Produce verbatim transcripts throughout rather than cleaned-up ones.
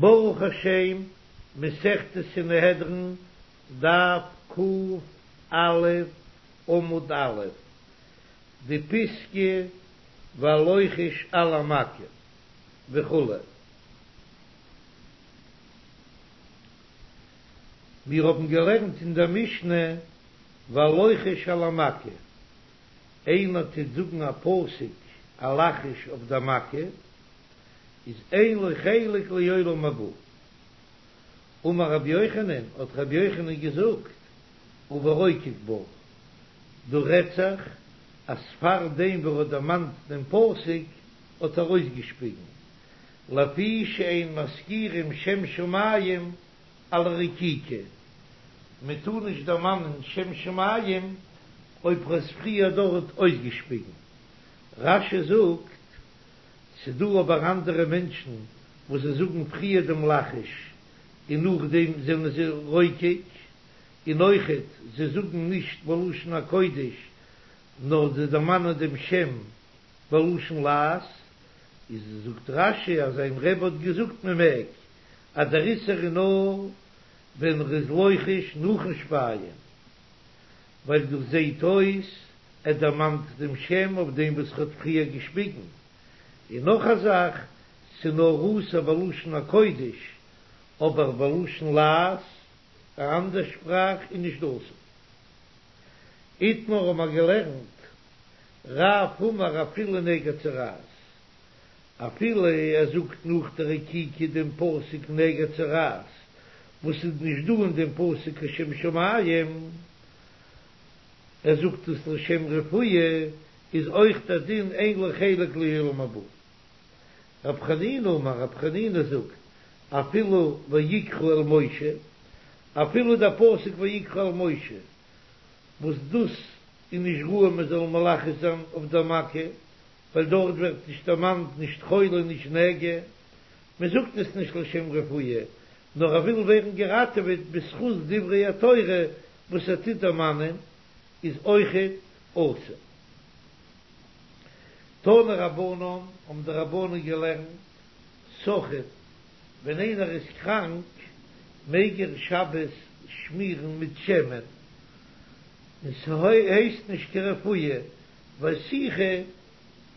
ברוך השם, מסכת סנהדרין, דף ק"א, עמוד א', די פיסקא והלוחש על המכה וכו'. מיר האבן געלערנט אין דער משנה והלוחש על המכה, איינער טוט זאגן א פסוק א לחש אויף דער מכה, איז אין לו חלק לעולם הבא. אמר רבי יוחנן, האט רבי יוחנן געזאגט, וברוקק בה, דא רעדט זיך אז פאר דעם ווי ער האט דערמאנט דעם פסוק האט ער אויסגעשפיגן, לפי שאין מזכירים שם שמים על הרקיקה, מען טאר נישט דערמאנען שם שמים אויב ער איז פריער דארט אויסגעשפיגן. רש"י זאגט ס'דא אבער אנדערע מענטשן וואס זיי זאגן פריער דעם לחש און נאכדעם זענען זיי רוקק, און אויכעט זיי זאגן נישט בלשון הקודש נאר זיי דערמאנען דעם שם בלשון לעז, איז זאגט רש"י אז זיין רבי האט געזאגט מ'מעג, אז דער איסור איז נאר ווען ר'איז לוחש נאכן שפייען, ווייל דאס זעהט אויס ער דערמאנט דעם שם אויף דעם וואס ר'האט פריער געשפיגן. און נאך א זאך, ס'נאר אסור בלשון הקודש, אבער בלשון לעז, א אנדער שפראך, איז נישט אסור. איתמר האבן מיר געלערנט, רב אמר אפילו נגע צרעת, אפילו ער זאגט נאך די רקיקה דעם פסוק נגע צרעת, וואס איז נישט דא אין דעם פסוק קיין שם שמים, ער זאגט עס לשם רפואה, איז אויך דער דין אין לו חלק לעולם הבא. רב חנינא אמר, רב חנינא זאגט, אפילו ויקרא אל משה, אפילו דער פסוק ויקרא אל משה, וואס דאס איז נישט ראוי מען זאל מלחש זיין אויף דער מכה, ווייל דארט ווערט נישט דערמאנט נישט חולי נישט נגע, מען זאגט עס נישט לשם רפואה, נאר ער וויל ווערן געראטעוועט בזכות דברי התורה וואס ער טוט דערמאנען, איז אויכעט אסור. תנו רבנן, האבן די רבנן געלערנט, סחיט, ווען איינער איז קראנק מעג ער שבת שמירן מיט שמן, און ס'הייסט נישט קיין רפואה, ווייל סיכה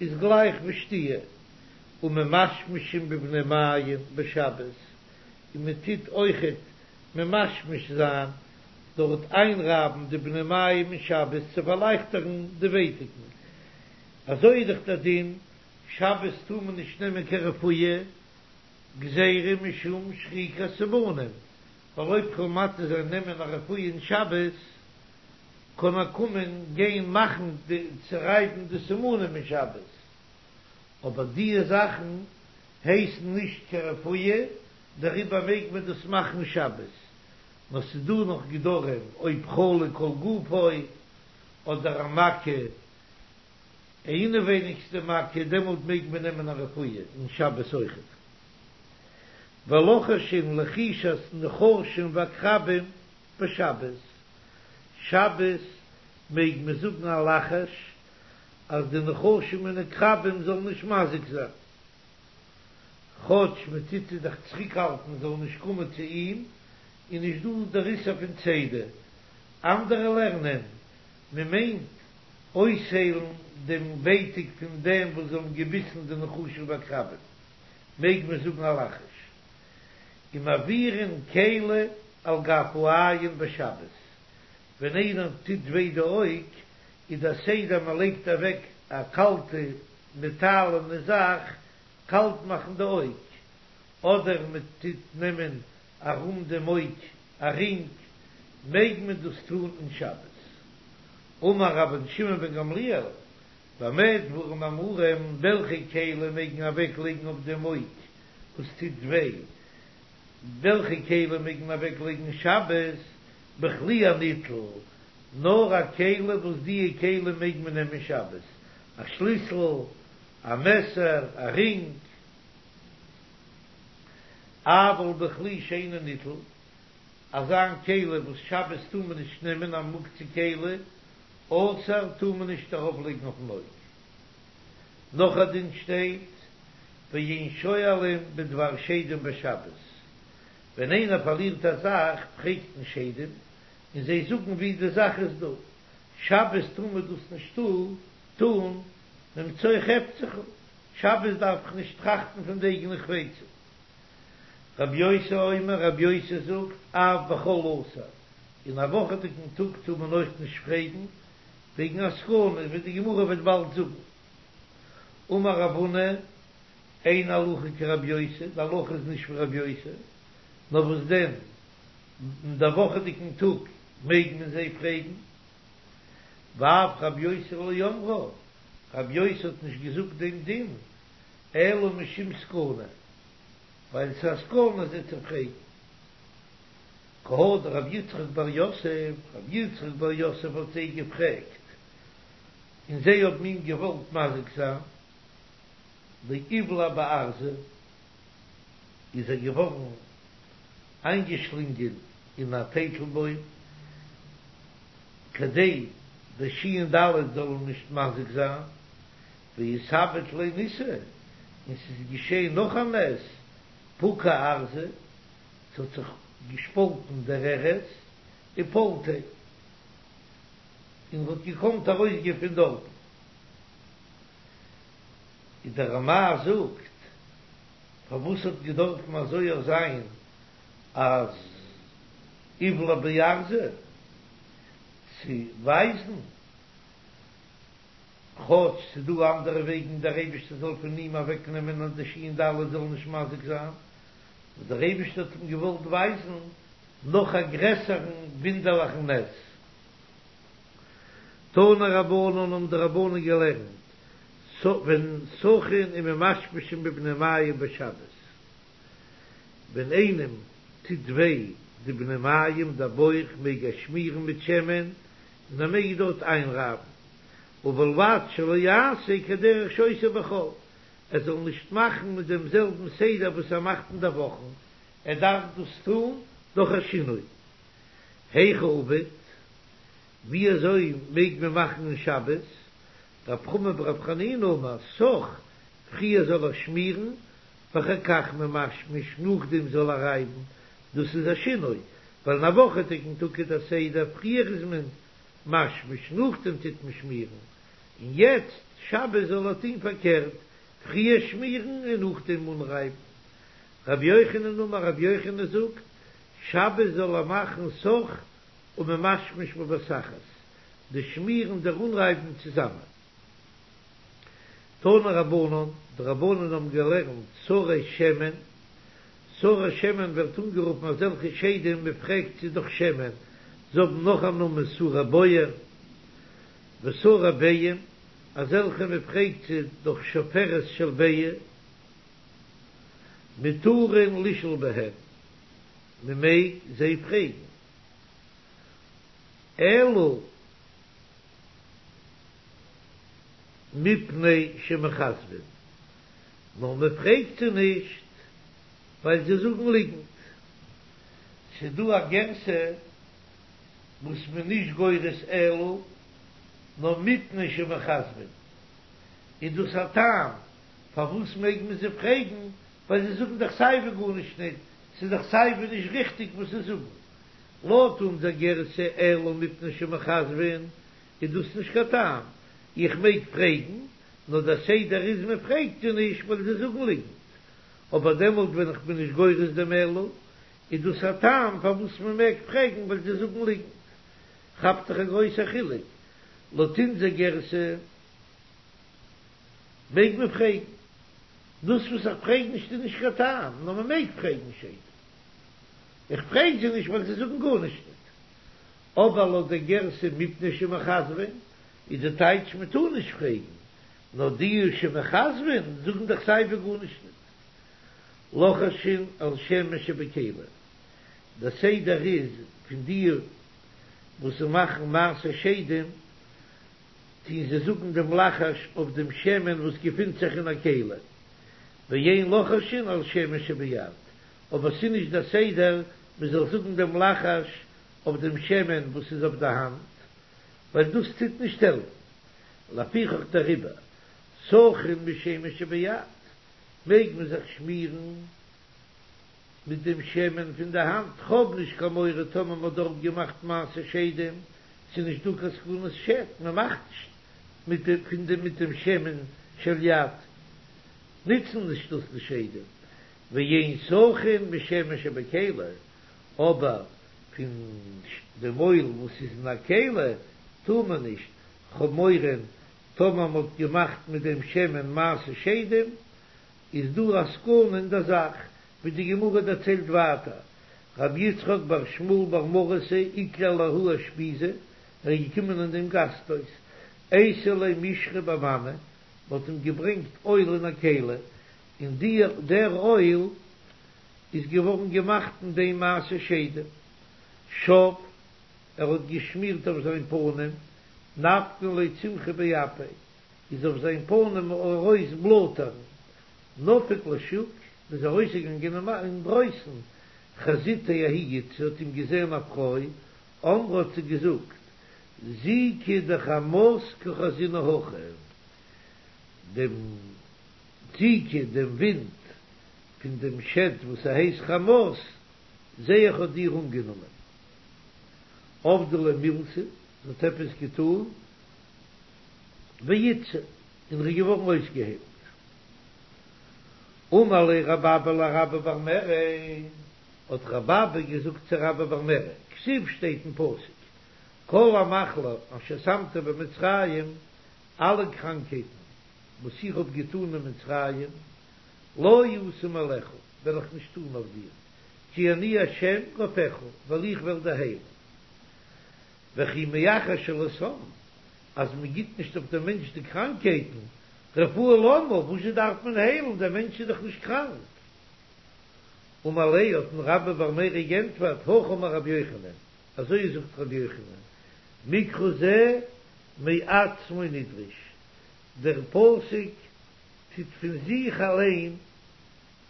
איז גלייך ווי שתיה, וממשמשין בבני מעיים בשבת, און מען טוט אויכעט ממשמש זיין דורך איינרייבן די בני מעיים אין שבת צו פארלייכטערן די ווייטאגן, אזוי איז דאך דער דין, שבת טאר מען נישט נעמען קיין רפואה, גזירה משום שחיקת סימנים, ווייל אויב כ'וועל מתיר זיין נעמען א רפואה אין שבת, קען ער קומען גיין מאכן די צורייבן די סימנים אין שבת, אבער דיע זאכן הייסן נישט קיין רפואה, דעריבער מעג מען דאס מאכן שבת, נאר ס'איז דא נאך גדרים אויב חלה כל גופו אדער א מכה אינעווייניגסטע מכה דעמאלט מעג מען נעמען א רפואה אין שבת אויכעט. ולוחשין לחישת נחשים ועקרבים בשבת, שבת מעג מען זאגן א לחש אז די נחשים און עקרבים זאלן נישט מזיק זיין. כאטש מען טוט זיי דאך צוריקהאלטן זאלן נישט קומען צו אים, איז נישט דא דער איסור פון צידה. אנדערע לערנען, מען מיינט אויסהיילן דעם ווייטאג פון דעם וואס זיי האבן געביסן די נחשים ועקרבים, מעג מען זאגן א לחש. ומעבירין כלי על גב העין בשבת, ווען איינער טוט וויי די אויג, איז דער סדר מען לייגט אוועק א קאלטע מעטאלענע זאך קאלט מאכן די אויג, אדער מען טוט נעמען ארום דעם אויג א רינג, מעג מען דאס טון אין שבת. אמר רבן שמעון בן גמליאל, במה דברים אמורים, וועלכע כלי מעג מען אוועק לייגן אויף דעם אויג וואס טוט וויי, וועלכע כלי מעג מען אוועק לייגן שבת, בכלי הניטל, נאר א כלי וואס דיע כלי מעג מען נעמען שבת, א שליסל, א מעסער, א רינג, אבל בכלי שאינו ניטל, אזא כלי וואס שבת טאר מען נישט נעמען א מוקצה כלי, אסור טאר מען נישט ארויף לייגן אויפן אויג. נאך א דין שטייט, ואין שואלים בדבר שדים בשבת. ווען איינער פארלירט א זאך פרעגט מען שדים און זיי זאגן ווי די זאך איז דא, שבת טאר מען דאס נישט טון ממצוא חפצך, שבת דארף איך נישט טראכטן פון די אייגענע חפצים. רבי יוסי אומר, רבי יוסי זאגט, אף בחול אסור, אין א וואכעדיגן טאג טאר מען אויך נישט פרעגן וועגן א סכנה, ווי די גמרא וועט באלד זאגן. אמר רב הונא, אין הלכה כרבי יוסי, די הלכה איז נישט ווי רבי יוסי, נאר וואס דען, אין דער וואכעדיגן טאג מעג מען זיי פרעגן. ואף רבי יוסי לא אמרה, רבי יוסי האט נישט געזאגט דעם דין, אלא משום סכנה, ווייל ס'איז א סכנה זיי צו פרעגן. כי הא דרב יצחק בר יוסף, רב יצחק בר יוסף האט זיי געפרעגט, און זיי האבן אים געוואלט מזיק זיין, דאיבלע בארזא, איז ער געווארן איינגעשלינגען אין א טייטלבוים, כדי די שין ד' זאל אים נישט מזיק זיין, ואיתעביד ליה ניסא, און ס'איז געשען נאך א נס, פקע ארזא, ס'האט זיך געשפאלטן דער ארז, ופלטיה, און ר'האט געקאנט ארויסגיין פון דארטן. איז דער רמ"ע זאגט, פארוואס האט געדארפן אזוי אויך זיין אז איבלע בארזא צו ווייזן, כאטש ס'איז דא אנדערע וועגן דער אייבערשטער זאל פון אים אוועק נעמען אז די שין ד' זאל נישט מזיק זיין, נאר דער אייבערשטער האט אים געוואלט ווייזן נאך א גרעסערן וואונדערליכן נס. תנו רבנן האבן די רבנן געלערנט, ווען סכין וממשמשין בבני מעיים בשבת, ווען איינעם טוט וויי די בני מעיים דער בויך מעג ער שמירן מיט שמן און ער מעג דארט איינרייבן, ובלבד שלא יעשה כדרך שעושה בחול, ער זאל נישט מאכן מיט דעם זעלבן סדר וואס ער מאכט אין די וואכן, ער דארף דאס טון דורך א שינוי. היכי עביד, ווי אזוי מעג מען מאכן אין שבת? רב חמא ברב חנינא אמר, סך, פריער זאל ער שמירן, ואחר כך ממשמש, נאכדעם זאל ער רייבן, דאס איז א שינוי, ווייל אין א וואכעדיגן טאג איז דער סדר, פריער איז מען משמש, נאכדעם טוט מען שמירן, און יעצט שבת זאל ער טון פארקערט, פריער שמירן און נאכדעם אנרייבן. רבי יוחנן אמר, רבי יוחנן זאגט, שבת זאל ער מאכן סך וממשמש בבת אחת, די שמירן דער אנרייבן צוזאמען. תנו רבנן, די רבנן האבן געלערנט שרי שמן, שרי שמן ווערט אנגערופן אזעלכע שדים מען פרעגט זיי דורך שמן, זיי האבן נאך א נאמען שרי בוהן ושרי ביעים, אזעלכע מען פרעגט זיי דורך שפופרת של ביעה, מותרין לשאול בהן, מען מעג זיי פרעגן, אלא מפני שמכזבין, נאר מען פרעגט זיי נישט ווייל זיי זאגן ליגנט. ס'דא א גירסא וואס מ'איז נישט גורס אלא, נאר מפני שמכזבין, איז דאס א טעם פארוואס מעג מען זיי פרעגן, ווייל זיי זאגן דאך סייווי גארנישט ניט, ס'איז דאך סייווי נישט ריכטיג וואס זיי זאגן. לויט אונזער גירסא אלא מפני שמכזבין איז דאס נישט קיין טעם, איך מעג פרעגן, נאר דער סדר איז מען פרעגט זיי נישט ווייל זיי זאגן ליגנט, אבער דעמאלט ווען איך בין נישט גורס דעם אלא, איז דאס א טעם פארוואס מען מעג פרעגן ווייל זיי זאגן ליגנט. כאפט זיך א גרויסער חילוק, לויט אונזער גירסא מעג מען פרעגן, דאס וואס איך פרעג נישט איז נישט קיין טעם, נאר מען מעג פרעגן שדים, איך פרעג זיי נישט ווייל זיי זאגן גארנישט ניט. אבער לויט דער גירסא מפני שמכזבין איז די טייטש מען טאר נישט פרעגן, נאר די שמכזבין זאגן דאך סייווי גארנישט ניט. לוחשין על שמן שבכלי, דער סדר איז פון די וואס מאכן מעשה שדים טוהן זיי זאגן דעם לחש אויף דעם שמן וואס געפינט זיך אין א כלי, ואין לוחשין על שמן שביד, אבער ס'איז נישט דער סדר מען זאל זאגן דעם לחש אויף דעם שמן וואס איז אויף די האנט, ווייל דאס טוט נישט העלפן, לפיכך דעריבער סכין בשמן שביד, מעג מען זיך שמירן מיט דעם שמן פון די האנט, כ'האב נישט קיין מורא טאמער מ'האט דארט געמאכט מעשה שדים, ס'איז נישט דא קיין סכנת שד, מ'מאכט נישט מיט דעם פון דעם מיט דעם שמן של יד, נוצן נישט דאס די שדים, ואין סכין משמן שבכלי, אבער פון דעם אויל וואס איז אין א כלי טאר מען נישט, כ'האב מורא טאמער מ'האט געמאכט מיט דעם שמן מעשה שדים, איז דא א סכנה אין דער זאך, ווי די גמרא דערציילט ווייטער, רב יצחק בר שמואל בר מרתא איקלע לההוא אושפיזא, ער איז געקומען אין דעם גאסטהויז, אייתו ליה משחא במנא, מ'האט אים געברענגט אויל אין א כלי, און די דער אויל איז געווארן געמאכט אין דעם מעשה שדים, שב, ער האט געשמירט אויף זיין פנים, נפקן ליה צמחי באפיה, איז אויף זיין פנים ארויס בלאטערן, נפק לשוק, איז ארויסגעגאנגען אינדרויסן, חזיתיה ההיא איתתא האט אים געזען א פרוי, אמרה האט זי געזאגט, זיקא דחמת קא חזינא הכא, דעם זיקא, דעם ווינט פון דעם שד וואס ער הייסט חמת, זע איך האט דיר אנגענומען. עבדה ליה מילתא, זי האט עפעס געטאן, ואיתסי, און ער איז געווארן אויסגעהיילט. אמר ליה רב אבא לרבה בר מרי, האט רב אבא געזאגט צו רבה בר מרי, כתיב שטייט אין פסוק, כל המחלה אשר שמתי במצרים, אלע קראנקהייטן וואס איך האב געטאן אין מצרים, לא אשים עליך, וועל איך נישט טאן אויף דיר, כי אני השם רופאך, ווייל איך וועל דיר היילן. וכי מאחר שלא שם, אז מען גיט נישט אויף דעם מענטש די קראנקהייטן, רפואה למה, וואזשע דארף מען היילן, דער מענטש איז דאך נישט קראנק. אמר ליה האט אים רבה בר מרי גענטפערט, הכי אמר רבי יוחנן, אזוי זאגט רבי יוחנן, מקרא זה מעצמו נדרש, דער פסוק טוט פון זיך אליין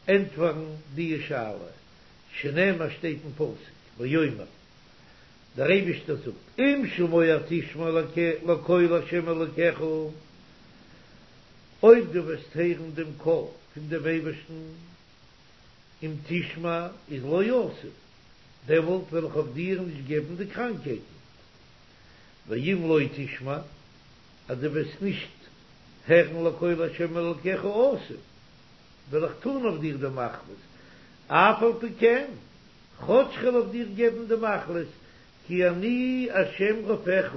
ענטפערן די שאלה, שנאמר שטייט אין פסוק, ויאמר, דער אייבישטער זאגט, אם שמוע תשמע לקול ה' אלוקיך, אויב דו וועסט הערן דעם קול פון דעם אייבערשטן, אם תשמע איז לא אשים, דעמאלט וועל איך אויף דיר נישט געבן די קראנקהייטן, ואם לא תשמע, אז דו וועסט נישט הערן לקול ה' אלוקיך אשים, וועל איך טאן אויף דיר די מחלות, אף על פי כן, כאטש כ'וועל אויף דיר געבן די מחלות, כי אני השם רופאך,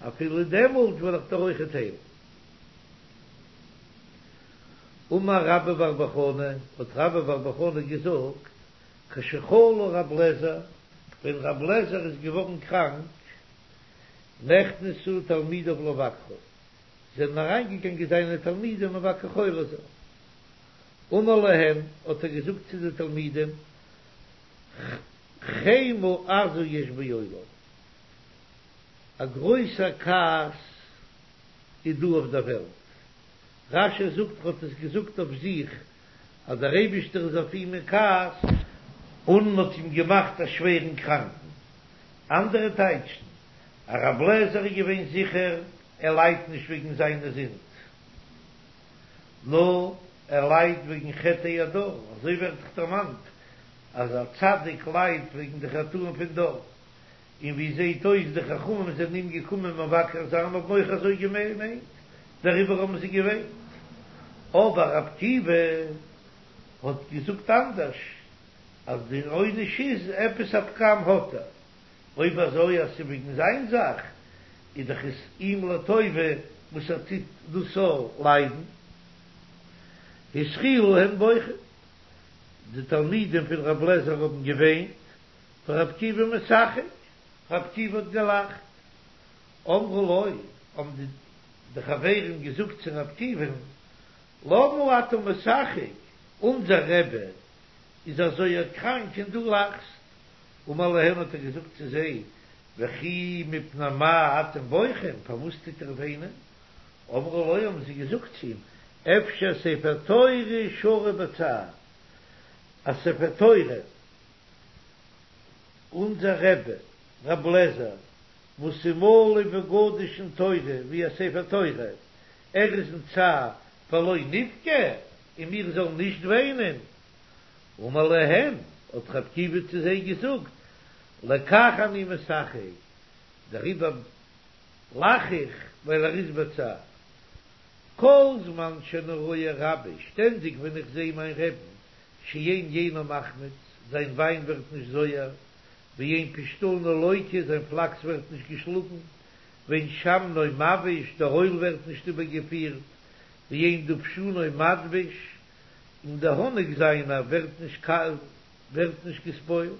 אפילו דעמאלט וועל איך דיר אויכעט היילן. אמר רבה בר בר חנה, האט רבה בר בר חנה געזאגט, כשחלה רב לעזר, ווען רב לעזר איז געווארן קראנק, נכנסו תלמידיו לבקרו, זענען אריינגעגאנגען זיינע תלמידים מבקר חולה זיין. אמר להם, האט ער געזאגט צו די תלמידים, חמה עזה יש בעולם, א גרויסער כעס איז דא אויף דער וועלט. רש"י זאגט ער האט עס געזאגט אויף זיך אז דער אייבישטער איז אויף אים אין כעס און האט אים געמאכט א שווערן קראנקן. אנדערע טייטשן אז רב לעזער איז געווען זיכער ער ליידט נישט וועגן זיינע זינד, נאר ער ליידט וועגן חטאי הדור, אזוי ווערט דאך דערמאנט אז א צדיק ליידט וועגן די חטאים פון דור, און ווי זעהט אויס די חכמים זענען אים געקומען מבקר זיין האבן אויך אזוי געמיינט, דעריבער האבן זיי געוויינט. אבער רב עקיבא האט געזאגט אנדערש, אז די עונש איז עפעס א פגם האט ער, אויב אזוי אז ס'איז וועגן זיין זאך, איז דאך עס אים לטובה וואס ער טוט דאס זאל ליידן. התחילו הן בוכים, די תלמידים פון רב לעזער האבן געוויינט, ורב עקיבא משחק, רב עקיבא האט געלאכט. אמרו לו, האבן די חברים געזאגט צו רב עקיבא'ן, למה אתה משחק, אונזער רבי איז אזוי קראנק און דו לאכסט. אמר להם האט ער געזאגט צו זיי, וכי מפני מה אתם בוכים, פארוואס טוט איר וויינען? אמרו לו האבן זיי געזאגט צו אים, אפשר ספר תורה שרוי בצער, א ספר תורה, אונזער רבי רב לעזער וואס איז מלא וגדוש אין תורה ווי א ספר תורה, ער איז אין צער ולא נבכה, און מיר זאלן נישט וויינען? אמר להם, האט ר' עקיבא צו זיי געזאגט, לכך אני משחק, דעריבער לאך איך, ווייל ער איז בצער. כל זמן שאני רואה רבי, שטענדיג ווען איך זע מיין רעבן, שאין יינו מחמיץ, זיין וויין ווערט נישט זויער, ואין פשתנו לוקה, זיין פלאקס ווערט נישט געשלאגן, ואין שמנו מבאיש, דער אויל ווערט נישט איבערגעפירט, ואין דובשנו מדביש, און דער האניג זיינער ווערט נישט ווערט נישט געספוילט.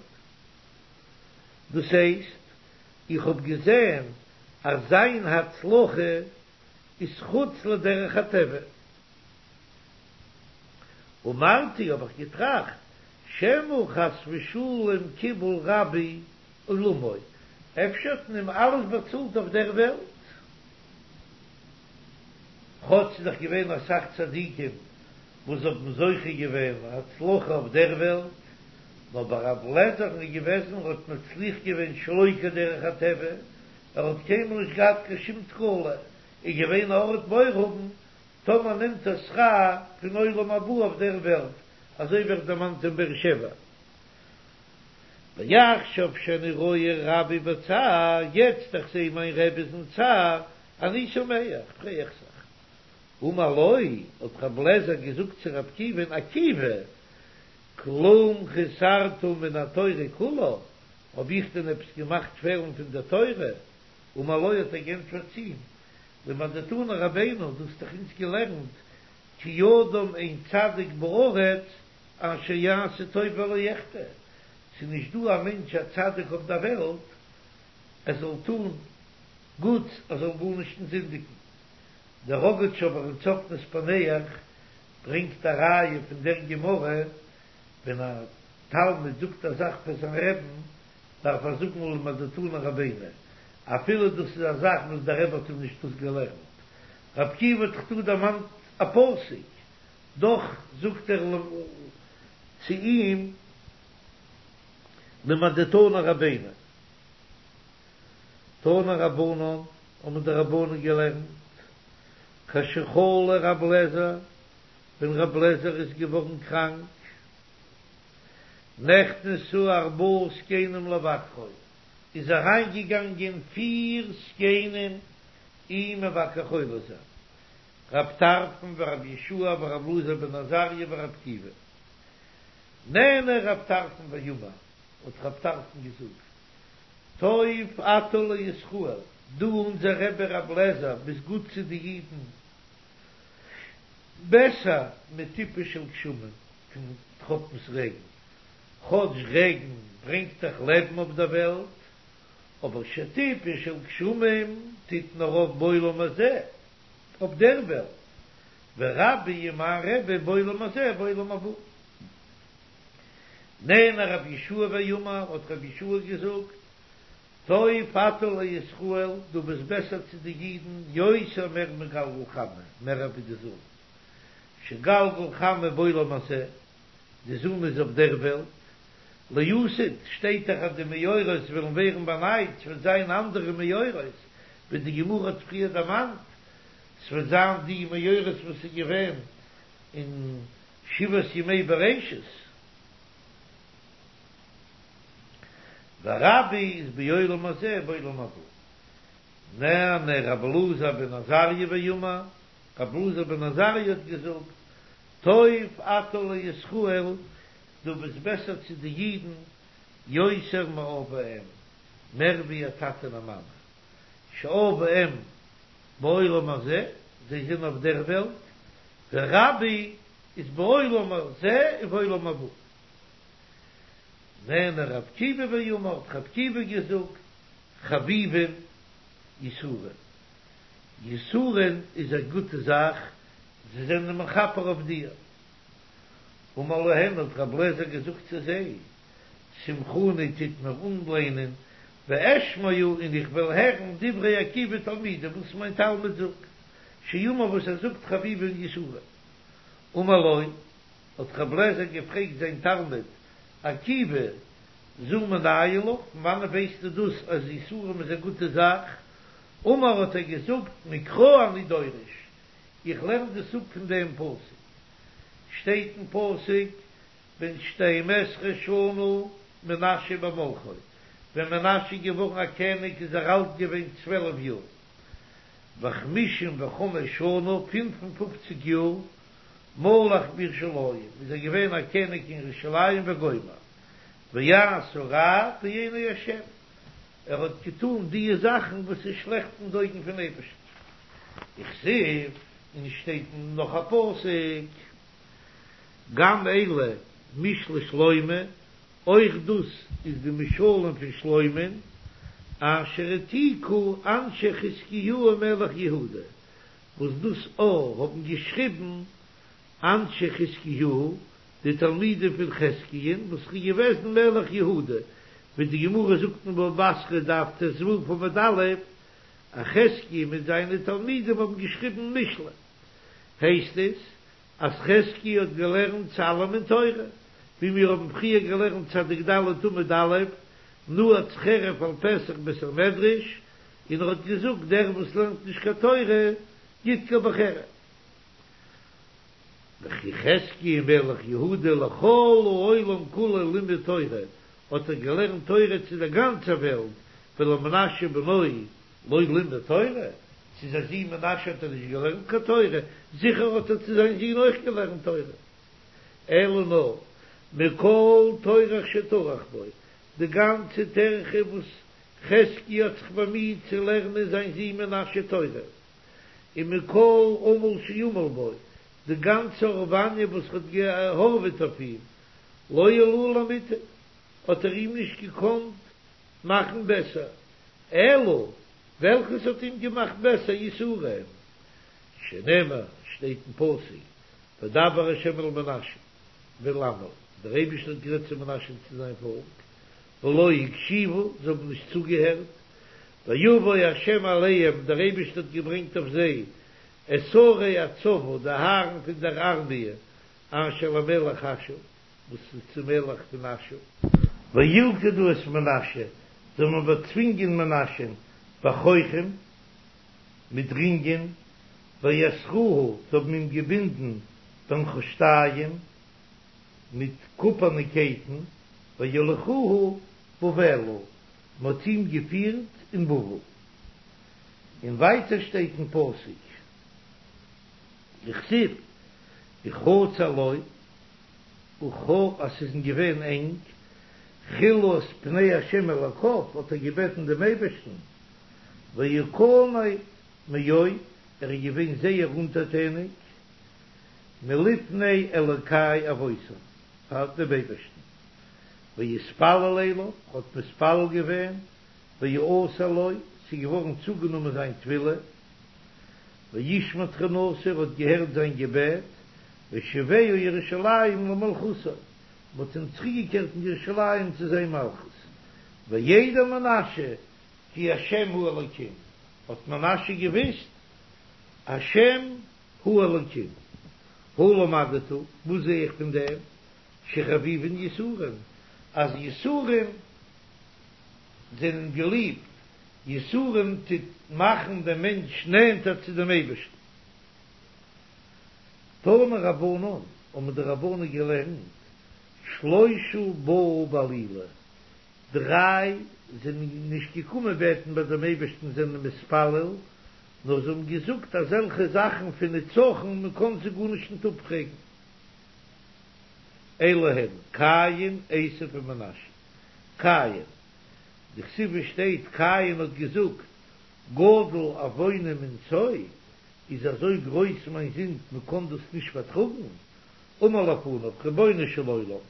דאס הייסט, איך האב געזען אז זיין הצלחה איז חוץ לדרך הטבע. אמרתי, האב איך געטראכט, שמא חס ושלום קיבל רבי עולמו, אפשר האט מען אים אלעס באצאלט אויף דער וועלט? כאטש ס'איז דאך געווען אסאך צדיקים וואס האבן זוכה געווען הצלחה אויף דער וועלט, נאר ביי רב לעזער'ן איז געוועזן ער האט מצליח געווען שלא כדרך הטבע, ער האט קיינמאל נישט געהאט קיין שום תקלה, איז געווען א ארט מורא האבן טאמער נעמט ער שכר פון עולם הבא אויף דער וועלט, אזוי ווערט דערמאנט אין באר שבע. ועכשיו שאני רואה רבי בצער, יעצט איך זעה מיין רבי איז אין צער, אני שמח, פריי איך זיך. אמר לו, האט רב לעזער געזאגט צו רב עקיבא'ן, עקיבא, כלום חסרת מן התורה כולה, האב איך דען עפעס געמאכט פעלן פון דער תורה? אמר לו, האט ער געענטפערט צו אים, למדתנו רבינו, דו האסט דאך אונז געלערנט, כי אדם אין צדיק בארץ אשר יעשה טוב ולא יחטא, ס'איז נישט דא א מענטש א צדיק אויף דער וועלט ער זאל טון גוטס ער זאל גארנישט נישט זינדיגן. דער ראגאטשאווער אין צפנת פענח ברענגט א ראיה פון דער גמרא, ווען א תלמיד זאגט א זאך פאר זיין רעבן דארף ער זאגן למדתנו רבינו, אפילו דאס איז א זאך וואס דער רבי האט אים נישט דאס געלערנט. רב עקיבא האט דאך דא דערמאנט א פסוק, דאך זאגט ער צו אים למדתנו רבינו. תנו רבנן, האבן די רבנן געלערנט, כשחלה רב לעזער, ווען רב לעזער איז געווארן קראנק, נכנסו ארבעה זקנים לבקרו, איז אריינגעגאנגען פיר זקנים אים מבקר חולה זיין, רב טרפון ורב יהושע ורב אלעזר בן עזריה ורב עקיבא. נענה רב טרפון ואמר, האט רב טרפון געזאגט, טוב אתה לישראל, דו אונזער רבי רב לעזער ביסט גוט צו די אידן, בעסער מטיפה של גשמים, פון טראפנס רעגן, כאטש רעגן ברענגט דאך לעבן אויף דער וועלט, אבער שטיפה של גשמים טוט נאר אויף בעולם הזה, אויף דער וועלט, ורבי און מיין רבי בעולם הזה ובעולם הבא. נענה רבי יהושע ואמר, האט רבי יהושע געזאגט, טוב אתה לישראל, דו ביסט בעסער צו די אידן, יותר מער מגלגל חמה, מער ווי די זון, שגלגל חמה בעולם הזה, די זון איז אויף דער וועלט, לעתיד שטייט דאך אז די מאורות וועלן ווערן באנייט, ס'וועט זיין אנדערע מאורות, ווי די גמרא האט פריער דערמאנט, ס'וועט זיין די מאורות וואס איז געווען אין שבעת ימי בראשית. ורבי איז בעולם הזה ובעולם הבא. נענה רבי אלעזר בן עזריה ואמר, רבי אלעזר בן עזריה האט געזאגט, טוב אתה לישראל, דו ביסט בעסער צו די אידן, יותר מאב ואם, מער ווי א טאטע און א מאמע, שאב ואם בעולם הזה, זיי זענען אויף דער וועלט, ורבי איז בעולם הזה ובעולם הבא. נענה רב עקיבא ואמר, האט רב עקיבא געזאגט, חביבין יסורין. יסורין איז א גוטע זאך, זיי זענען מכפר אויף דיר. אמר להן האט רב לעזער געזאגט צו זיי, שמחוני טוט מיר אנליינען, ואשמעה און איך וועל הערן דברי עקיבא תלמידי וואס מיין תלמיד זאגט, שאמר וואס ער זאגט חביבין יסורין. אמר לו, האט רב לעזער געפרעגט זיין תלמיד עקיבא, זו מנין לך, פון וואנעט ווייסטו דאס אז יסורים איז א גוטע זאך? אמר האט ער געזאגט מקרא אני דורש, איך לערן דאס אפ פון דעם פסוק, שטייט אין פסוק בן שתים עשרה שנה מנשה במלכו, ווען מנשה איז געווארן א קעניג איז ער אלט געווען צוועלף יאר, וחמישים וחמש שנה, פינף און פופציג יאר, מלך בירושלים, איז ער געווען א קעניג אין ירושלים וגומר, ויעש הרע בעיני השם, ער האט געטאן דיע זאכן וואס איז שלעכט אין די אויגן פון אייבערשטן. וכתיב, און שטייט נאך א פסוק, גם אלה משלי שלמה, אויך דאס איז די משלים פון שלמה'ן, אשר העתיקו אנשי חזקיהו מלך יהודה, וואס דאס א האבן געשריבן אנשי חזקיהו, די תלמידים פון חזקיה'ן, וואס איז געוועזן מלך יהודה, ווי די גמרא זאגט אין בבא בתרא דף ט"ו עמוד א', אז חזקיה מיט זיינע תלמידים האבן געשריבן משלי, הייסט עס אז חזקיה האט געלערנט צו אלעמען תורה, ווי מיר האבן פריער געלערנט צדיק ד' עמוד א', נעץ חרב על פתח בית המדרש, און ער האט געזאגט דער וואס לערנט נישט קיין תורה ידקר בחרב. וכי חזקיה מלך יהודה לכל העולם כולו לימד תורה, האט ער געלערנט תורה צו דער גאנצער וועלט, ולמנשה בנו לא לימד תורה, צו זיין זון מנשה האט ער נישט געלערנט קיין תורה, זיכער האט ער צו זיין זון אויך געלערנט תורה. אלא נאר מכל טורח שטרח בו, די גאנצע טרחה וואס חזקיה האט זיך באמיהט צו לערנען זיין זון מנשה תורה, ומכל עמל שעמל בו, די גאנצע הארוואניע וואס ער האט געהארוועט אויף אים, לא העלהו למוטב, האט ער אים נישט געקאנט מאכן בעסער, אלא וועלכעס האט אים געמאכט בעסער יסורים, שנאמר, שטייט אין פסוק, וידבר ה' אל מנשה ואל עמו, דער אייבערשטער האט גערעדט צו מנשה און צו זיין פאלק, ולא הקשיבו, זיי האבן נישט צוגעהערט, ויבא ה' עליהם, דער אייבערשטער האט געברענגט אויף זיי, את שרי הצבא, די הארן פון דער ארמיע, אשר למלך אשור, וואס איז צום מלך פון אשור. וילכדו את מנשה, זיי האבן באצווינגען מנשה'ן, בחוחים, מיט רינגען, ויאסרוהו, זיי האבן אים געבונדן בנחושתים, מיט קופערנע קייטן, ויוליכוהו בבלה, מען האט אים געפירט אין בבל. און ווייטער שטייט אין פסוק, וכתיב, וכצר לו, וכ אז ס'איז אים געווען ענג, חלה את פני השם אלוקיו, האט ער געבעטן דעם אייבערשטן, ויכנע מאוד, ער איז געווען זייער אונטערטעניג, מלפני אלוקי אבותיו, פאר דעם אייבערשטן, ויתפלל אליו, האט מתפלל געווען, ויעתר לו, ס'איז געווארן צוגענומען זיין תפילה, וישמע תחינתו, ער האט געהערט זיין געבעט, וישיבהו ירושלים למלכותו, מ'האט אים צוריקגעקערט אין ירושלים צו זיין מלכות, וידע מנשה כי השם הוא אלוקים, האט מנשה געוויסט השם הוא אלוקים, הא למדת, וואס זע איך פון דעם? שחביבין יסורים, אז יסורים זענען געליבט, יסורים טוט מאכן דעם מענטש נענטער צו דעם אייבערשטן. תנו רבנן, האבן די רבנן געלערנט, שלושה באו בעלילה, דריי זענען נישט געקומען בעטן ביי דעם אייבערשטן זענען מתפלל, נאר זיי האבן געזאגט אזעלכע זאכן פון נצחון מען קען זיי גארנישט ניט אפפרעגן. אלו הן, קין, עשו און מנשה. קין, דכתיב שטייט קין האט געזאגט, גדול עווני מנשוא, איז אזוי גרויס מיין זינד מען קען דאס נישט פארטראגן, אמר לפניו, רבונו של עולם,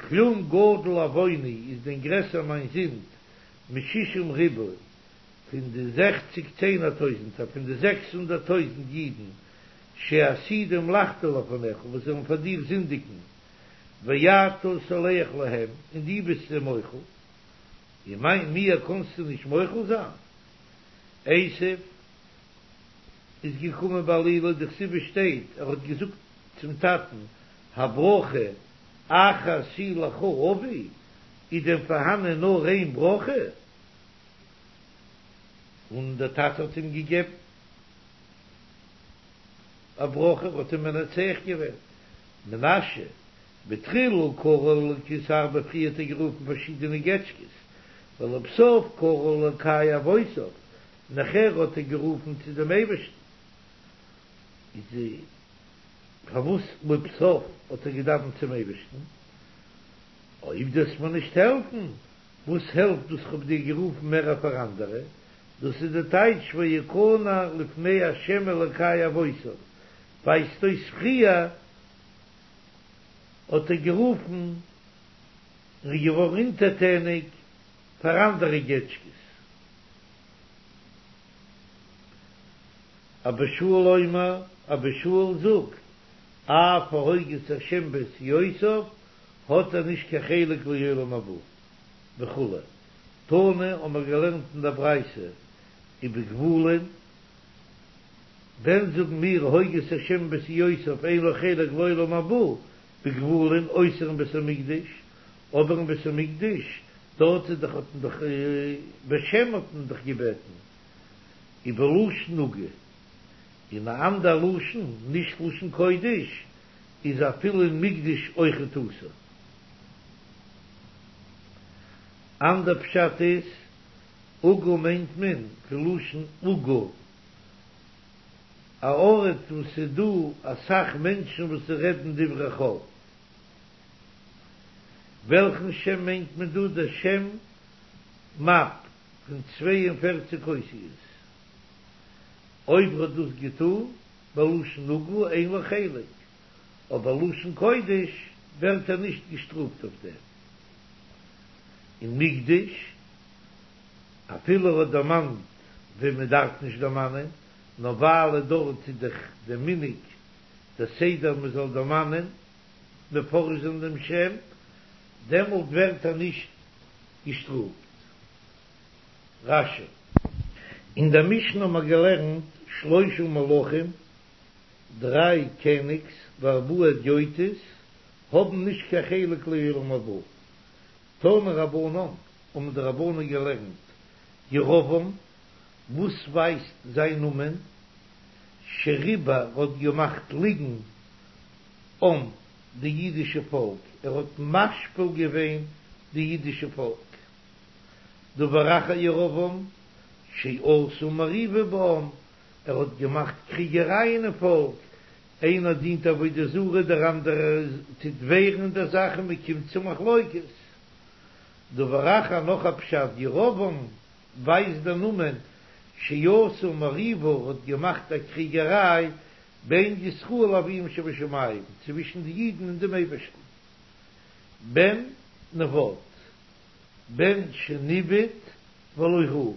כלום גדול עווני איז דען גרעסער מיין זינד משישים ריבוא פון די זעכציג צענער טויזנטער פון די זעקס הונדערט טויזנט אידן שעתידים לחטוא לפניך וואס זאלן פאר דיר זינדיגן ואתה סולח להם און דו ביסט זיי מוחל און מיין מיר קאנסטו נישט מוחל זיין? עשו איז געקומען בעלילה דכתיב שטייט ער האט געזאגט צום טאטן הברכה אחת היא לך אבי, איז דען פארהאנען נאר איין ברכה? און דער טאטע האט אים געגעבן א ברכה, האט אים מנצח געווען. מנשה, בתחילה קרא לאלקות הרבה פריער האט ער גערופן פארשידענע געטשקעס, ולבסוף קרא לאלקי אבותיו, נאכער האט ער גערופן צו דעם אייבערשטן. איז פארוואס לבסוף האט ער געדאווענט צום אייבערשטן? אויב דו וועסט מיר נישט העלפן, וואס העלפט דאס כ'האב דיר גערופן מער פאר אנדערע? דאס איז די טייטש ויכנע לפני ה' אלקי אבותיו, ווייזט אויס פריער האט ער גערופן און איז געווארן אונטערטעניג פאר אנדערע געטשקעס. אבא שאול אומר, אבא שאול זאגט, אף ההוגה את השם בעשיותיו, האט ער נישט קיין חלק לעולם הבא, וכו'. תנא האבן מיר געלערנט אין דער ברייתא ובגבולין, ווען זאגן מיר הוגה את השם בעשיותיו אין לו חלק לעולם הבא, בגבולין אויסער אין בית המקדש, אבער אין בית המקדש דארט איז דאך האט מען דאך בשם האט מען דאך געבעטן, ובלשון נגע, אין א אנדער לשון, נישט לשון קודש, איז אפילו אין מקדש אויכעט אסור. אנדער פשט איז, עגה מיינט מען פון לשון עוגה, א ארט וואס ס'איז דא אסאך מענטשן וואס רעדן דברי חול. וועלכן שם מיינט מען דא? דער שם מ"ף פון צוויי און פֿערציק אותיות. אויב ער האט דאס געטאן בלשון נגע אין לו חלק, אבער לשון קודש ווערט ער נישט געשטראפט אויף דעם. אין מקדש, אפילו ער האט דערמאנט ווען מען דארף נישט דערמאנען, נאר ווייל דארט איז דאך דער מנהג דער סדר מען זאל דערמאנען, מפרש זיין דעם שם, דעמאלט ווערט ער נישט געשטראפט. רש"י. אין דער משנה האבן מיר געלערנט שלושה מלכים, דריי קעניגס וארבעה הדיוטות האבן נישט קיין חלק לעולם הבא. תנו רבנן, האבן די רבנן געלערנט, ירבעם, וואס ווייזט זיין נאמען, שריבע האט געמאכט ליגן עם די אידישע פאלק, ער האט משפיל געווען די אידישע פאלק. דבר אחר ירבעם, שעשה מריבה בעם, ער האט געמאכט קריגערייען אין פאלק, איינער דינט עבודה זרה דער אנדערער טוט ווערן אין דער זאך און מען קומט צו מחלוקת. דבר אחר נאך א פשט ירבעם ווייזט דער נאמען שעשה מריבה האט געמאכט א קריגעריי בין ישראל לאביהם שבשמים צווישן די אידן און דעם אייבערשטן. בן נבט בן שניבט ולא ראה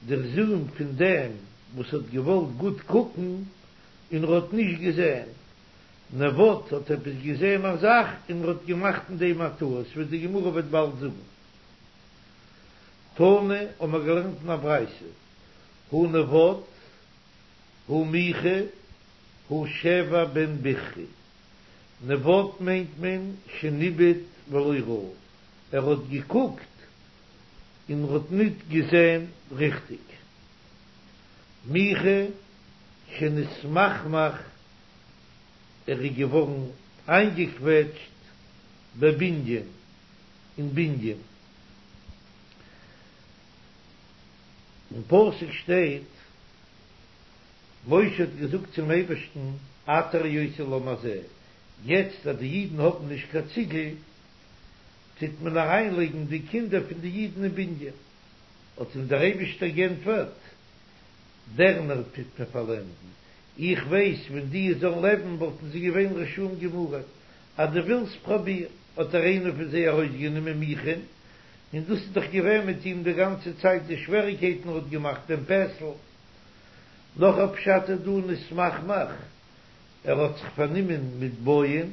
דער זון פון דעם וואס האט געוואלט גוט קוקן און ער האט נישט געזען, נבט האט עפעס געזען א זאך און ער האט געמאכט אין דעם א טעות, ווי די גמרא וועט באלד זאגן. תנא האבן מיר געלערנט אין א ברייתא, הא נבט, הא מיכה, הא שבע בן בכרי. נבט מיינט מען שניבט ולא ראה, ער האט געקוקט און ער האט ניט געזען ריכטיק. מיכה שנתמכמך, ער איז געווארן איינגעקוועטשט בבנין, אין בנין. אין פסוק שטייט, משה האט געזאגט צום אייבערשטן, אתה הראות לעם הזה, יעצט אז די אידן האבן נישט קיין ציגל, טוט מען אריינלייגן די קינדער פון די אידן אין בנין. האט אים דער אייבישטער גענטפערט, דערנער טוט מען פארלענדן, איך ווייס ווען די זאלן לעבן וואלטן זיי געווען רשעים גמורים, אז דו ווילסט פראביר, האט ער איינער פון זיי ארויסגענומען מיכה'ן, און דאס איז דאך געווען מיט אים די גאנצע צייט די שוועריקייטן ער האט געמאכט דעם פסל. נאך א פשט איז דא נתמכמך, ער האט זיך פארנומען מיט בויען,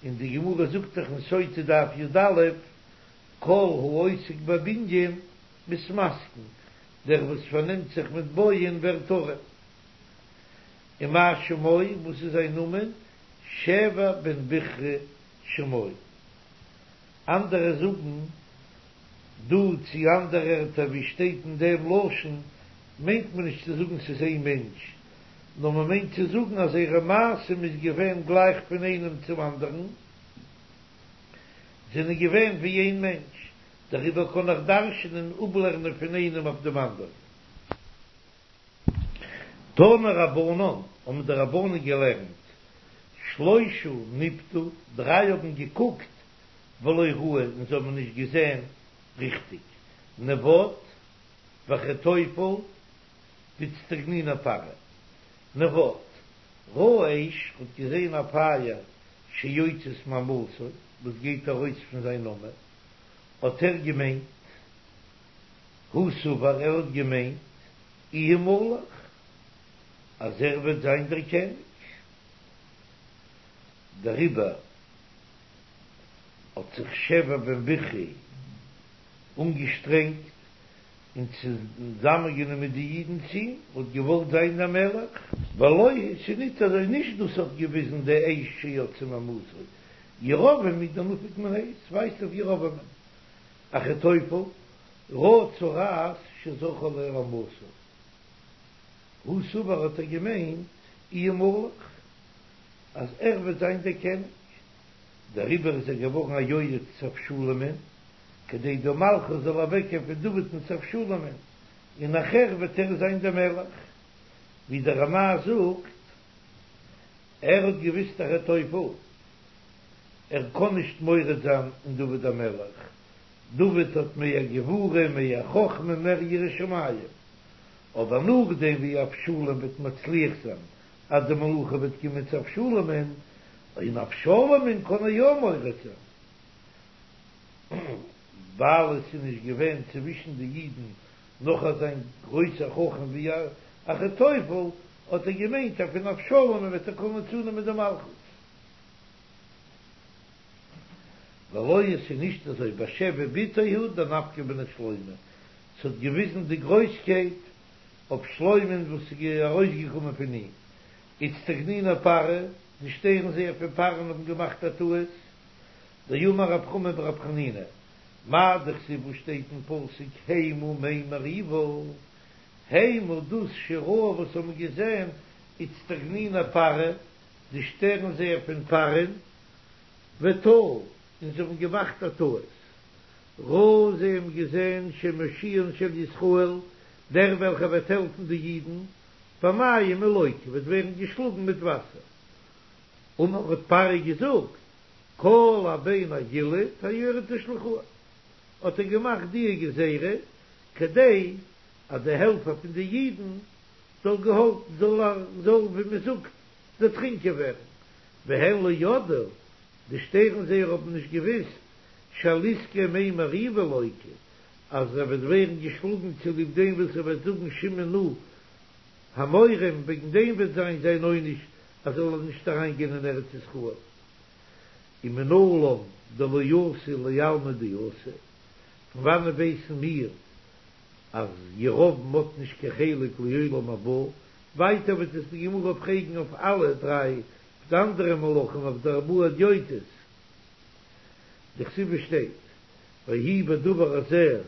און די גמרא זאגט דאך אין סוטה דף י"א, כל העוסק בבנין מתמסכן, דער וואס פארנעמט זיך מיט בויען ווערט ארעם. ומה שמו, וואס איז זיין נאמען? שבע בן בכרי שמו. אנדערע זאגן דא צו אנדערע ערטער ווי שטייט אין דעם לשון, מיינט מען נישט צו זאגן ס'איז איין מענטש, נאר מען מיינט צו זאגן אז זייערע מעשים איז געווען גלייך פון איינעם צום אנדערן. זענען געווען ווי איין מענטש, דעריבער קען איך דרש'נען אפלערנען פון איינעם אויף דעם אנדערן. תנו רבנן, האבן די רבנן געלערנט, שלושה ניפתו, דריי האבן געקוקט, ולא ראו, און זיי האבן נישט געזען ריכטיג, נבט ואחיתופל ואיצטגניני פרעה, נבט, ראה אש, האט געזען א פייער שיוצאת מאמתו, וואס גייט ארויס פון זיין אמה, האט ער געמיינט, הוא סבר, ער האט געמיינט, איהו מלך, אז ער וועט זיין דער קעניג, דעריבער האט זיך שבע בן בכרי אנגעשטרענגט און צוזאמענגענומען די אידן צו אים, האט געוואלט זיין דער מלך. ולא היא, ס'איז ניט אזוי, נישט דאס האט געוויזן די אש שיוצאה מאמתו, ירבעם הוא דנפיק מיניה, ס'ווייזט אויף ירבעמען. אחיתופל, ראה צרעת שזרחה עליה אמתו, הוא סבר האט ער געמיינט איהו מלך, אז ער וועט זיין דער קעניג, דעריבער איז ער געווארן א יועץ צו אבשלומ'ן, כדי די מלכות זאל אוועקגיין פון דוד'ן צו אבשלומ'ן, און נאכער וועט ער זיין דער מלך, ווי דער רמ"ע זאגט, ער האט געוויסט אחיתופל, ער קען נישט מורד זיין אין דוד המלך, דוד האט מער גבורה, מער חכמה, מער יראת שמים, אבער נאכדעם ווי אבשלום וועט מצליח זיין אז די מלוכה וועט קומען צו אבשלומ'ן, אין אבשלומ'ן קען ער יא מורד זיין, ווייל עס איז נישט געווען צווישן די אידן נאך אזא גרויסער חכם ווי אחיתופל, האט ער געמיינט אז פון אבשלומ'ן וועט ער קענען צונעמען די מלכות. ולא היא, עס איז נישט אזוי, בשבע בתו הוא דנפקא מיניה שלמה, ס'האט געוויזן די גרויסקייט אויף שלמה'ן וואס איז ארויסגעקומען פון אים, איצטגניני פרעה, די שטערן זעער פון פרעה'ן האבן געמאכט א טעות, דאמר רב חמא ברב חנינא, מאי דכתיב וואס שטייט אין פסוק המה מי מריבה, המה דאס שראו וואס האבן געזען איצטגניני פרעה, די שטערן זעער פון פרעה'ן, וטעו, און זיי האבן געמאכט א טעות, ראו זיי האבן געזען שמושיען של ישראל, דער וועלכער וועט העלפן די אידן, במים הוא לוקה, וועט ווערן געשלאגן מיט וואסער. אמר האט פרעה געזאגט, כל הבן הילוד היאורה תשליכוהו, האט ער געמאכט די גזירה כדי אז די העלפער פון די אידן זאל געהאלפן זאל זאל ווי מען זאגט דערטרינקען ווערן, והן לא ידעו, די שטערן זעער האבן נישט געוויסט, שעל עסקי מי מריבה לוקה, אז ער וועט ווערן געשלאגן צוליב דעם וואס ער וועט זאגן שמעו נא המורים, וועגן דעם וועט זיין זיין עונש אז ער זאל נישט אריין גיין אין ארץ ישראל. ומנלן דלא אתי לעלמא דאתי, פון וואנעט ווייסן מיר אז ירבעם האט נישט קיין חלק לעולם הבא? ווייטער וועט עס די גמרא פרעגן אויף אלע דריי אויף די אנדערע מלכים אויף די ארבעה הדיוטות, דכתיב שטייט ויהי בדבר הזה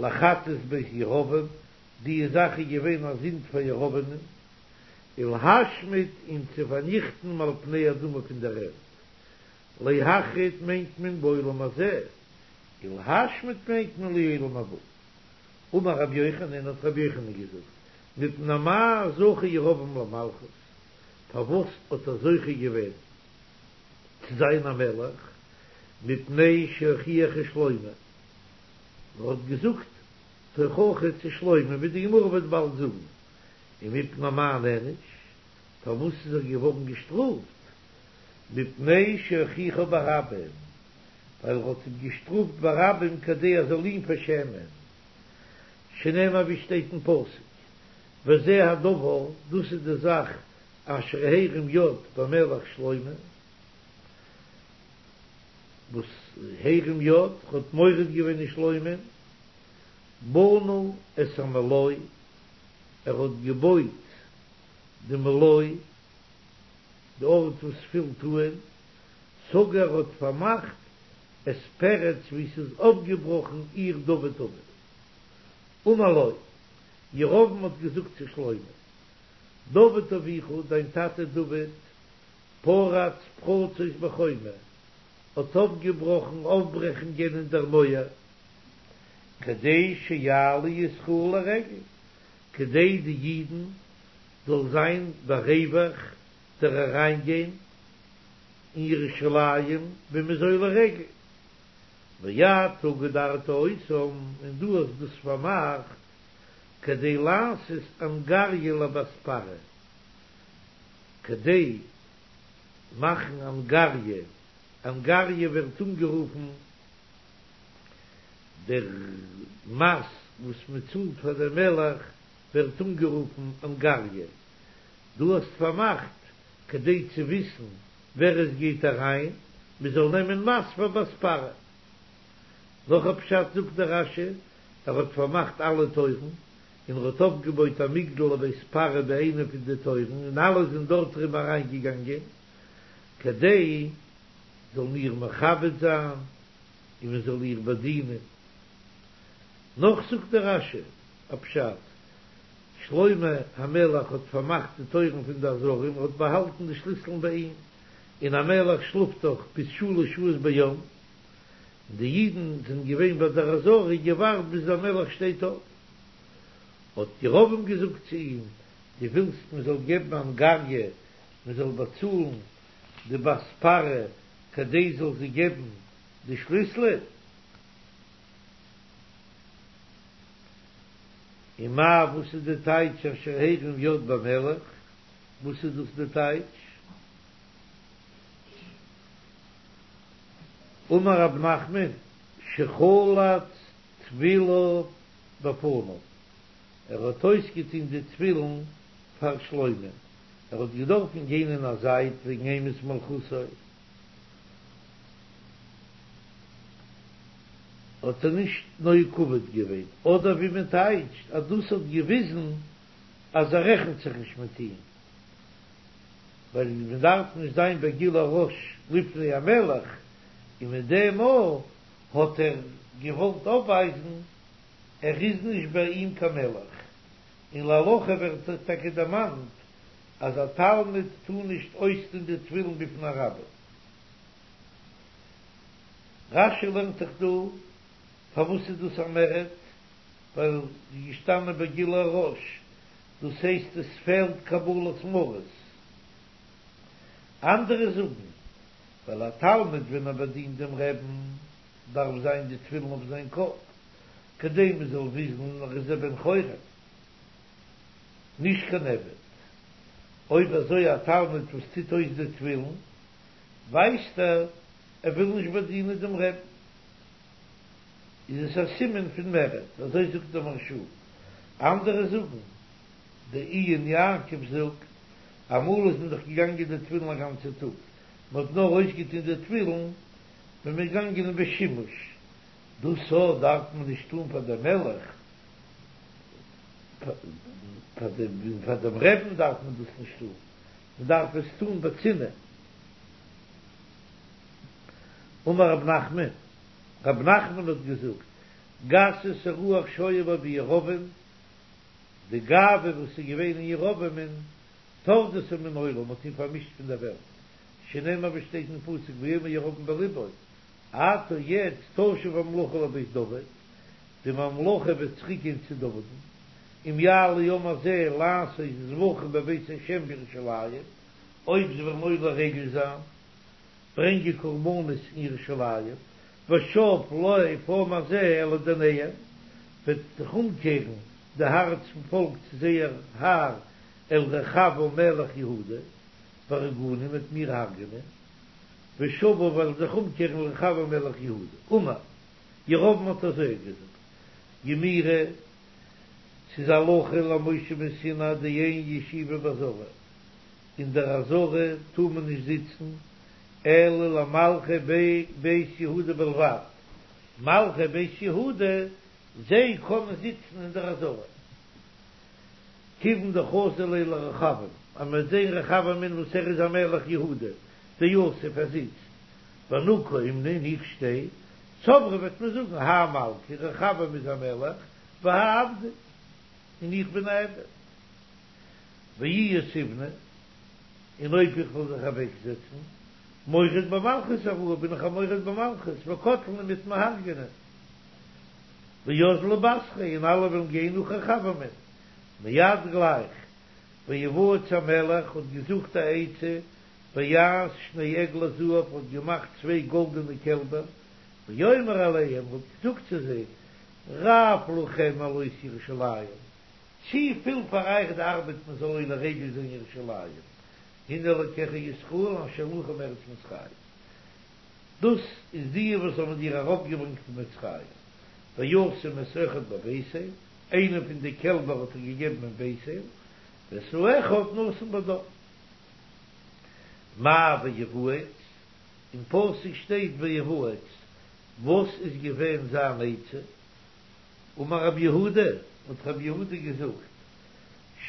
לחטאת בית ירבעם, די זאך איז געווען א זינד פאר ירבעמ'ן, ולהשמיד אים צו פארניכטן מעל פני האדמה פון דער ערד, להכרית מיינט מען בעולם הזה, ולהשמיד מיינט מען לעולם הבא. אמר רבי יוחנן, האט רבי יוחנן געזאגט, מפני מה זכה ירבעם למלכות, פארוואס האט ער זוכה געווען צו זיין א מלך, מפני שהוכיח את שלמה, ער האט געזאגט תוכחה צו שלמה, ווי די גמרא וועט באלד זאגן, ומפני מה נענש, פארוואס איז ער געווארן געשטראפט, מפני שהוכיחו ברבים, ווייל ער האט אים געשטראפט ברבים כדי ער זאל אים פארשעמען, שנאמר ווי שטייט אין פסוק, וזה הדבר, דאס איז די זאך אשר הרים יד במלך שלמה, וואס הרים יד האט מורד געווען אין שלמה'ן, בנה את המלוא, ער האט געבויט די מלוא, די ארט וואס פילט אן, סגר האט פארמאכט את פרץ וואו ס'איז אויפגעבראכן עיר דוד אביו. אמר לו, ירבעם האט געזאגט צו שלמה, דוד אביך, דיין טאטע דוד, פרץ פרצות בחומה, האט אויפגעבראכן אויפברעכונגען אין דער מויער, כדי שיעלו ישראל לרגל, כדי די אידן זאל זיין בריווח דער אריינגיין אין ירושלים ווען מ'איז עולה רגל, ואתה גדרת אותם, און דו האסט דאס פארמאכט, כדי לעשות אנגריא לבת פרעה, כדי מאכן אנגריא, אנגריא ווערט אנגערופן דער מס וואס מען צאלט פאר דעם מלך ווערט אנגערופן אנגריא, דו האסט פארמאכט כדי צו וויסן ווער עס גייט אריין, מען זאל נעמען מס פאר בת פרעה. נאך א פשט זאגט דער רש"י, ער האט פארמאכט אלע טויערן, און ער האט אויפגעבויט א מגדל לבית פרעה ביי איינע פון די טויערן, און אלע זענען דארט ארום אריינגעגאנגען, כדי זאלן איר מכבד זיין, און מען זאל איר באדינען. נאך זאגט דער רש"י א פשט, שלמה המלך האט פארמאכט די טויערן פון די עזרה און האט באהאלטן די שליסלען ביי אים, און א מלך שלאפט דאך ביז שלש שעות ביום, און די אידן זענען געווען ביי דער עזרה געווארט ביז דער מלך שטייט אויף. האט ירבעם געזאגט צו אים, דו ווילסט מען זאל געבן אנגריא, מען זאל באצאלן די בת פרעה כדי זאל זי געבן די שליסלען? ומאי וואס איז די טייטש אשר הרים יד במלך? וואס איז דאס די טייטש? אמר רב נחמן שחלץ תפיליו בפניו, ער האט אויסגעטון די תפילין פאר שלמה, ער האט געדארפן גיין אין א זייט וועגן אימת מלכותו, האט ער נישט נוהג כבוד געווען, אדער ווי מען טייטשט אז דאס האט געוויזן אז ער רעכנט זיך נישט מיט אים, ווייל מען דארף נישט זיין בגילוי ראש לפני המלך, און מיט דעם מאל האט ער געוואלט אויפווייזן ער איז נישט ביי אים קיין מלך, און להלכה ווערט טאקע דערמאנט אז א תלמיד טאר נישט אויסטון די תפילין בפני רבו. רש"י לערנט זיך דא פארוואס איז דאס א מרד, ווייל ס'איז געשטאנען בגילוי הראש, דאס הייסט עס פעלט קבלת מרות. אנדערע זאגן, ווייל א תלמיד ווען ער באדינט דעם רעבן דארף זיין די תפילין אויף זיין קאפ, כדי מען זאל וויסן ער איז א בן חורין, נישט קיין עבד. אויב אזוי א תלמיד וואס טוט אויס די תפילין, ווייזט ער ער וויל נישט באדינען דעם רעבן, איז עס א סימן פון מרד, אזוי זאגט דער מהרש"א. אנדערע זאגן, דער עיון יעקב זאגט, אמאל איז מען דאך געגאנגען די תפילין א גאנצע טאג, מען האט נאר אויסגעטון די תפילין ווען מען איז געגאנגען אין בית שימוש, דאס א דארף מען נישט טון פאר דעם מלך, פאר דעם רעבן דארף מען דאס נישט טון, מען דארף עס טון בצנעה. אמר רב נחמן, רב נחמן האט געזאגט, גסות הרוח שהיתה בו בירבעם, די גאווה וואס איז געווען אין ירבעמ'ן, טרדתו מן העולם, האט אים פארמישט פון דער וועלט, שנאמר ווי שטייט אין פסוק ויאמר ירבעם בלבו, עתה יעצט תשוב הממלכה לבית דוד, די ממלכה וועט צוריק גיין צו דוד'ן, אם יעלו העם הזה לעשות זבחים בבית השם בירושלים, אויב זיי וועלן עולה רגל זיין, ברענגען קרבנות אין ירושלים, ושב לב העם הזה אל אדוניהם, וועט זיך אומקערן די הארץ פון פאלק צו זייער האר אל רחבעם מלך יהודה, והרגוני, מ'וועט מיר הרג'נען, ושבו וועלן זיך אומקערן לרחבעם מלך יהודה. אמר, ירבעם האט אזוי געזאגט, גמירי, ס'איז הלכה למשה מסיני דאין ישיבה בעזרה, אין דער עזרה טאר מען נישט זיצן, אלא למלכי בית יהודה בלבד, מלכי בית יהודה זיי קענען זיצן אין דער עזרה. כיוון דחזו ליה לרחבעם, אז מען וועט זען רחבעמ'ן וואס ער איז א מלך יהודה, דיתיב ער זיצט, ואנא קאימנא און איך שטיי, סברי וועט מען זאגן האי מלכא רחבעם איז א מלך, והאי עבדא און איך בין א עבד. ואי יתיבנא, און אויב איך וועל זיך אוועקזעצן, מורד במלכות הואי, בין איך א מורד במלכות, וקטלני מ'וועט מיר הרג'ענען. ואזלי בתריה און אלע וועלן גיין נאך רחבעמען. מיד גלייך ויוועץ המלך האט געזוכט א עצה, ויעש שני עגלי זהב האט געמאכט צוויי גאלדענע קעלבער, ויאמר אליהם האט געזאגט צו זיי, רב לכם מעלות ירושלים, צו פיל פאר אייך די ארבעט מען זאל עולה רגל זיין ירושלים, הנה אלקיך ישראל אשר העלוך מארץ מצרים, דאס איז די וואס האבן דיר ארויפגעברענגט פון מצרים, וישם את האחד בבית אל, איינע פון די קעלבער האט ער געגעבן אין בית אל, ואת האחד נתן בדן. מאי ויוועץ? אין פסוק שטייט ויוועץ, וואס איז געווען זיין עצה? אמר רב יהודה, האט רב יהודה געזאגט,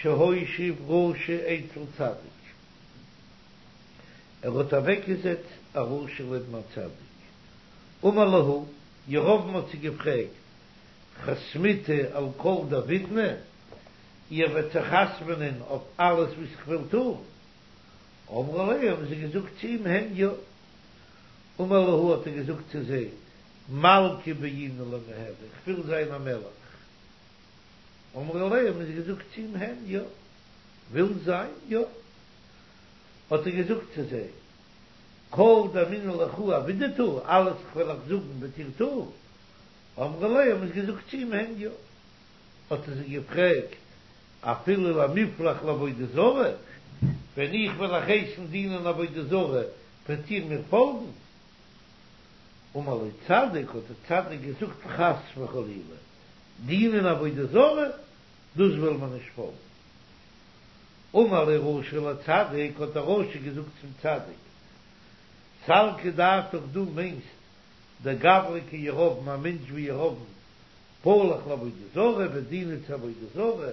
שהושיב רשע אצל צדיק, ער האט אוועקגעזעצט א רשע לעבן א צדיק, אמר להו, ירבעם האט זיי געפרעגט, חתמיתו על כל דעבידנא, איר וועט זיך חתמ'נען אויף אלעס וואס איך וועל טון? אמרו ליה, האבן זיי געזאגט צו אים, הן יא. אמר להו, האט ער געזאגט צו זיי, מלכא בעינא למיהוי, איך וויל זיין א מלך. אמרו ליה, האבן זיי געזאגט צו אים, הן יא. ווילסט זיין? יא. האט ער געזאגט צו זיי, כל דאמינא לכו עבידתו, אלעס איך וועל אייך זאגן וועט איר טון? אמרו ליה, האבן זיי געזאגט צו אים, הן יא. האט ער זיי געפרעגט, אפילו למיפלח לעבודה זרה, ווען איך וועל אייך הייסן דינען עבודה זרה, וועט איר מיר פאלגן? אמר ליה צדיק, האט דער צדיק געזאגט, חס וחלילה, דינען עבודה זרה, דאס וועלן מיר נישט פאלגן. אמר ליה רשע לצדיק, האט דער רשע געזאגט צום צדיק, סלקא דעתך דו מיינסט דגברא כירבעם, א מענטש ווי ירבעם, פלח לעבודה זרה וועט דינען צו עבודה זרה,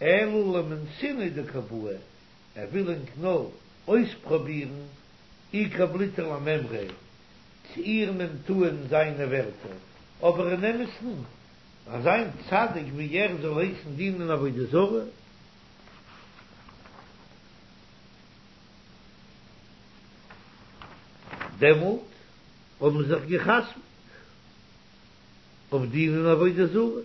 אלא למנסינהו דקא בעי, ער וויל ענק נאר אויספראבירן אי קבליתו למימריה, צו איר נעמט אן זיינע ווערטער, אבער אין אמת'ן אזא צדיק ווי ער זאל הייסן דינען עבודה זרה? דעמאלט האבן זיך געחתמ'ט אויף דינען עבודה זרה.